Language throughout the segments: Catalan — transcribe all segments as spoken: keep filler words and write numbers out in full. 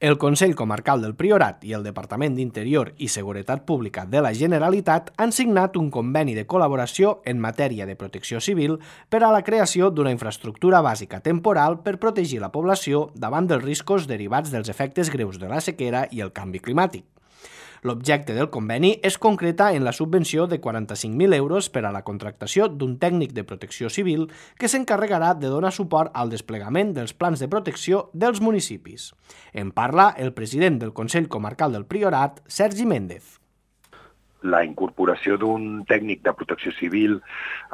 El Consell Comarcal del Priorat i el Departament d'Interior i Seguretat Pública de la Generalitat han signat un conveni de col·laboració en matèria de protecció civil per a la creació d'una infraestructura bàsica temporal per protegir la població davant dels riscos derivats dels efectes greus de la sequera i el canvi climàtic. L'objecte del conveni es concreta en la subvenció de quaranta-cinc mil euros per a la contractació d'un tècnic de protecció civil que s'encarregarà de donar suport al desplegament dels plans de protecció dels municipis. En parla el president del Consell Comarcal del Priorat, Sergi Méndez. La incorporació d'un tècnic de protecció civil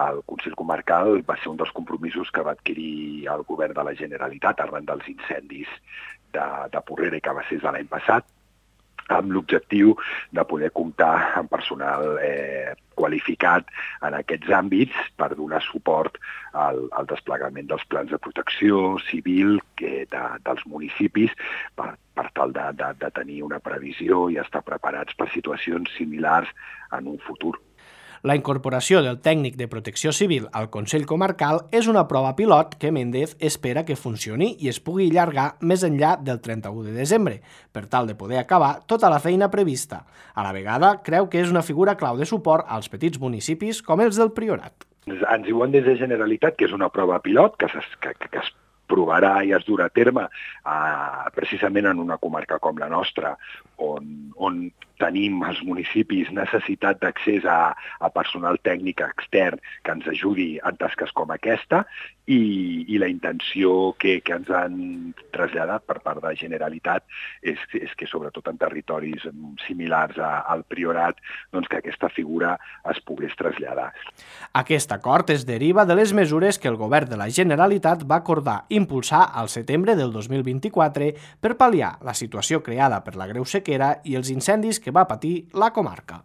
al Consell Comarcal va ser un dels compromisos que va adquirir el govern de la Generalitat arran dels incendis de, de Porrera i Cabassers de l'any passat, amb l'objectiu de poder comptar amb personal eh, qualificat en aquests àmbits per donar suport al, al desplegament dels plans de protecció civil que de, dels municipis per, per tal de, de, de tenir una previsió i estar preparats per situacions similars en un futur. La incorporació del tècnic de protecció civil al Consell Comarcal és una prova pilot que Méndez espera que funcioni i es pugui allargar més enllà del trenta-u de desembre, per tal de poder acabar tota la feina prevista. A la vegada, creu que és una figura clau de suport als petits municipis com els del Priorat. Ens diuen des de Generalitat que és una prova pilot que, que, que es provarà i es durà a terme eh, precisament en una comarca com la nostra, on, on tenim els municipis necessitat d'accés a, a personal tècnic extern que ens ajudi en tasques com aquesta i, i la intenció que, que ens han traslladat per part de la Generalitat és, és que sobretot en territoris similars a, al Priorat doncs que aquesta figura es pogués traslladar. Aquest acord es deriva de les mesures que el govern de la Generalitat va acordar impulsar al setembre del dos mil vint-i-quatre per pal·liar la situació creada per la greu sequera i els incendis que va patir la comarca.